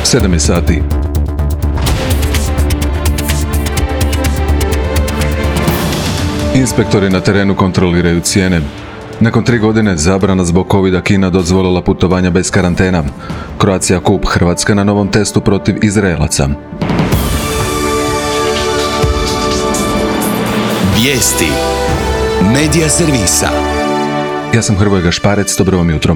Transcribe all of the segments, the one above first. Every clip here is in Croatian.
7 sati. Inspektori na terenu kontroliraju cijene. Nakon 3 godine zabrana zbog covida Kina dozvolila putovanja bez karantena. Croatia Cup, Hrvatska na novom testu protiv Izraelaca. Vijesti Medija servisa. Ja sam Hrvoje Gašparec, dobro vam jutro.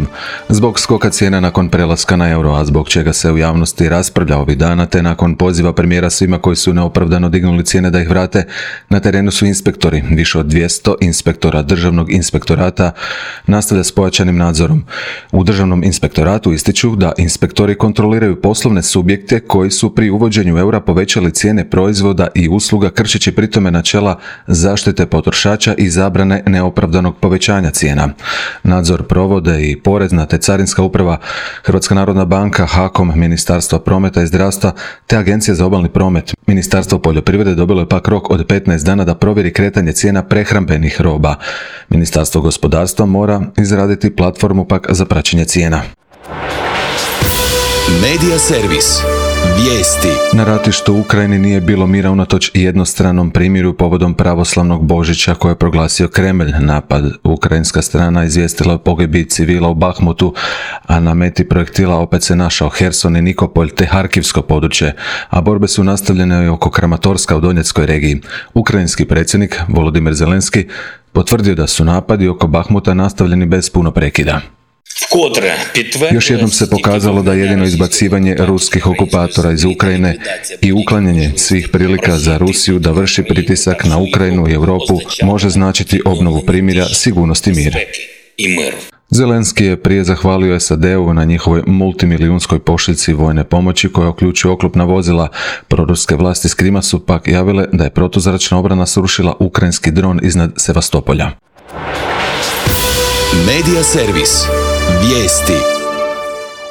Zbog skoka cijena nakon prelaska na euro, a zbog čega se u javnosti raspravlja ovih dana, te nakon poziva premijera svima koji su neopravdano dignuli cijene da ih vrate, na terenu su inspektori. Više od 200 inspektora Državnog inspektorata nastavlja s pojačanim nadzorom. U Državnom inspektoratu ističu da inspektori kontroliraju poslovne subjekte koji su pri uvođenju eura povećali cijene proizvoda i usluga kršeći pritome načela zaštite potrošača i zabrane neopravdanog povećanja cijena. Nadzor provode i Porezna te Carinska uprava, Hrvatska narodna banka, HAKOM, Ministarstvo prometa i zdravstva te Agencija za obalni promet. Ministarstvo poljoprivrede dobilo je pak rok od 15 dana da provjeri kretanje cijena prehrambenih roba. Ministarstvo gospodarstva mora izraditi platformu pak za praćenje cijena. Medija servis. Vijesti. Na ratištu u Ukrajini nije bilo mira unatoč jednostranom primiru povodom pravoslavnog Božića koje je proglasio Kremlj. Napad ukrajinska strana izvijestila o pogibiji civila u Bahmutu, a na meti projektila opet se našao Herson i Nikopolj te Harkivsko područje, a borbe su nastavljene i oko Kramatorska u Donjeckoj regiji. Ukrajinski predsjednik Volodymyr Zelenski potvrdio da su napadi oko Bahmuta nastavljeni bez puno prekida. Još jednom se pokazalo da jedino izbacivanje ruskih okupatora iz Ukrajine i uklanjanje svih prilika za Rusiju da vrši pritisak na Ukrajinu i Europu može značiti obnovu primirja, sigurnost i mir. Zelenski je prije zahvalio SAD-u na njihovoj multimilijunskoj pošiljci vojne pomoći koja uključuje oklopna vozila. Proruske vlasti s Krima su pak javile da je protuzračna obrana srušila ukrajinski dron iznad Sevastopolja. Medija servis. Vijesti.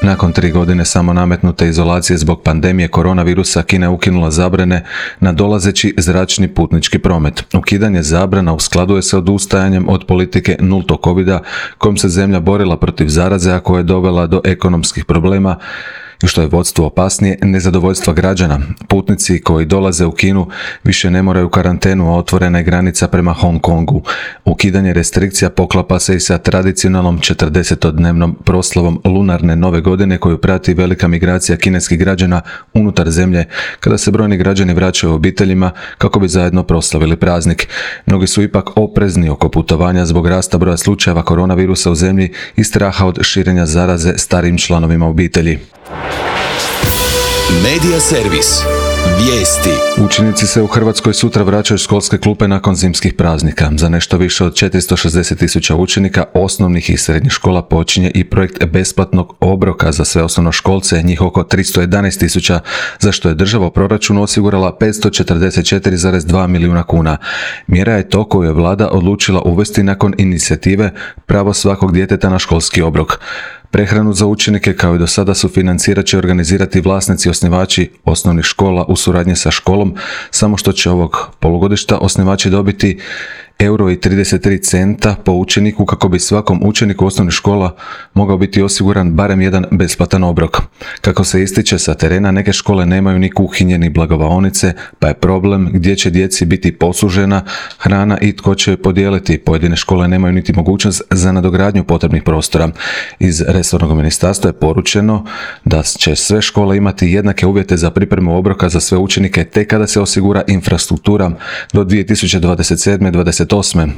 Nakon 3 godine samo nametnute izolacije zbog pandemije koronavirusa, Kina je ukinula zabrane na dolazeći zračni putnički promet. Ukidanje zabrana u skladu je sa odustajanjem od politike nultog covida kojom se zemlja borila protiv zaraze, a koja je dovela do ekonomskih problema i što je vodstvo opasnije, nezadovoljstva građana. Putnici koji dolaze u Kinu više ne moraju karantenu, a otvorena je granica prema Hong Kongu. Ukidanje restrikcija poklapa se i sa tradicionalnom 40-dnevnom proslavom lunarne nove godine koju prati velika migracija kineskih građana unutar zemlje, kada se brojni građani vraćaju obiteljima kako bi zajedno proslavili praznik. Mnogi su ipak oprezni oko putovanja zbog rasta broja slučajeva koronavirusa u zemlji i straha od širenja zaraze starijim članovima obitelji. Medija servis. Vijesti. Učenici se u Hrvatskoj sutra vraćaju školske klupe nakon zimskih praznika. Za nešto više od 460.000 učenika osnovnih i srednjih škola počinje i projekt besplatnog obroka za sve osnovnoškolce, njih oko 311.000, za što je država u proračunu osigurala 544,2 milijuna kuna. Mjera je to koju je vlada odlučila uvesti nakon inicijative Pravo svakog djeteta na školski obrok. Prehranu za učenike kao i do sada sufinancirat će organizirati vlasnici osnivači osnovnih škola u suradnji sa školom, samo što će ovog polugodišta osnivači dobiti €1,33 po učeniku kako bi svakom učeniku osnovnih škola mogao biti osiguran barem jedan besplatan obrok. Kako se ističe sa terena, neke škole nemaju ni kuhinje ni blagovaonice, pa je problem gdje će djeci biti poslužena hrana i tko će je podijeliti. Pojedine škole nemaju niti mogućnost za nadogradnju potrebnih prostora. Iz resornog ministarstva je poručeno da će sve škole imati jednake uvjete za pripremu obroka za sve učenike tek kada se osigura infrastruktura. Do 2027-2028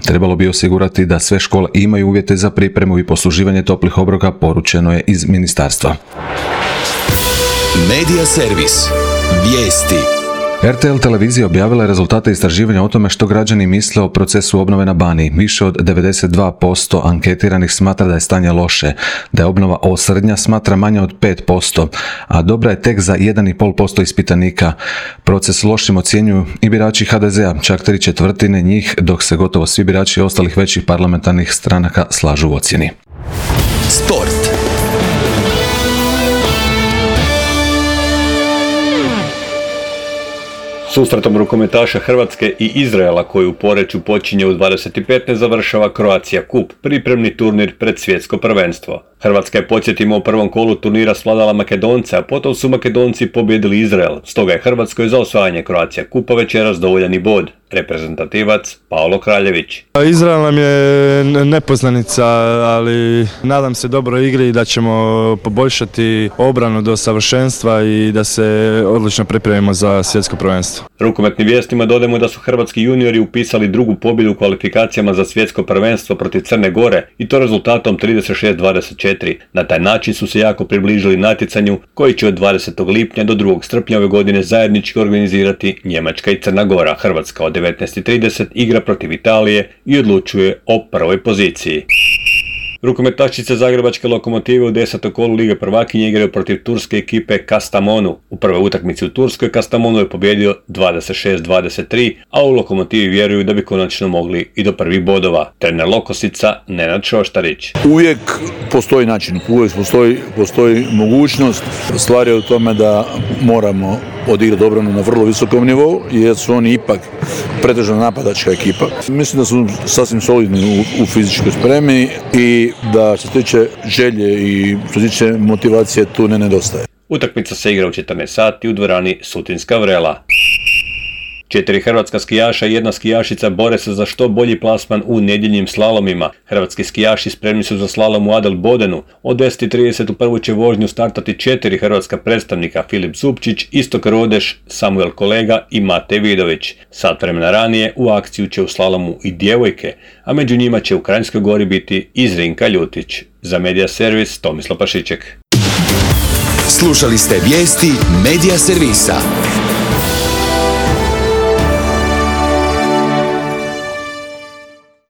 trebalo bi osigurati da sve škole imaju uvjete za pripremu i posluživanje toplih obroka, poručeno je iz ministarstva. Medija servis. Vijesti. RTL televizija objavila je rezultate istraživanja o tome što građani misle o procesu obnove na Baniji. Više od 92% anketiranih smatra da je stanje loše, da je obnova osrednja smatra manje od 5%, a dobra je tek za 1,5% ispitanika. Proces lošim ocjenjuju i birači HDZ-a, čak 3/4 njih, dok se gotovo svi birači ostalih većih parlamentarnih stranaka slažu u ocjeni. Sport. Susretom rukometaša Hrvatske i Izraela koji u Poreču počinje u 25. završava Croatia Cup, pripremni turnir pred svjetsko prvenstvo. Hrvatska je, podsjetimo, u prvom kolu turnira svladala Makedonce, a potom su Makedonci pobjedili Izrael. Stoga je Hrvatskoj za osvajanje Croatia Cupa večeras dovoljan i bod. Reprezentativac Paolo Kraljević. Izrael nam je nepoznanica, ali nadam se dobroj igri i da ćemo poboljšati obranu do savršenstva i da se odlično pripremimo za svjetsko prvenstvo. Rukometnim vijestima dodajemo da su hrvatski juniori upisali drugu pobjedu u kvalifikacijama za svjetsko prvenstvo protiv Crne Gore i to rezultatom 36-24. Na taj način su se jako približili natjecanju koji će od 20. lipnja do 2. srpnja ove godine zajednički organizirati Njemačka i Crna Gora. Hrvatska od 19:30 igra protiv Italije i odlučuje o prvoj poziciji. Rukometašice Zagrebačke Lokomotive u 10. kolu Lige prvakinja igraju protiv turske ekipe Kastamonu. U prvoj utakmici u Turskoj Kastamonu je pobjedio 26-23, a u Lokomotivi vjeruju da bi konačno mogli i do prvih bodova. Trener Lokosica Nenad Šoštarić. Uvijek postoji način, uvijek postoji mogućnost. Stvar je u tome da moramo odigrati obranu na vrlo visokom nivou, jer su oni ipak pretežno napadačka ekipa. Mislim da su sasvim solidni u fizičkoj spremi i da što se tiče želje i što se tiče motivacije tu ne nedostaje. Utakmica se igra u 14 sati u dvorani Sutinska Vrela. 4 hrvatska skijaša i 1 skijašica bore se za što bolji plasman u nedjeljnim slalomima. Hrvatski skijaši spremni su za slalom u Adel Bodenu. Od 10:30 u prvu će vožnju startati 4 hrvatska predstavnika: Filip Zupčić, Istok Rodeš, Samuel Kolega i Mate Vidović. Sat vremena ranije u akciju će u slalomu i djevojke, a među njima će u Kranjskoj Gori biti i Zrinka Ljutić. Za Media Servis Tomislav Pašiček. Slušali ste vijesti Media Servisa.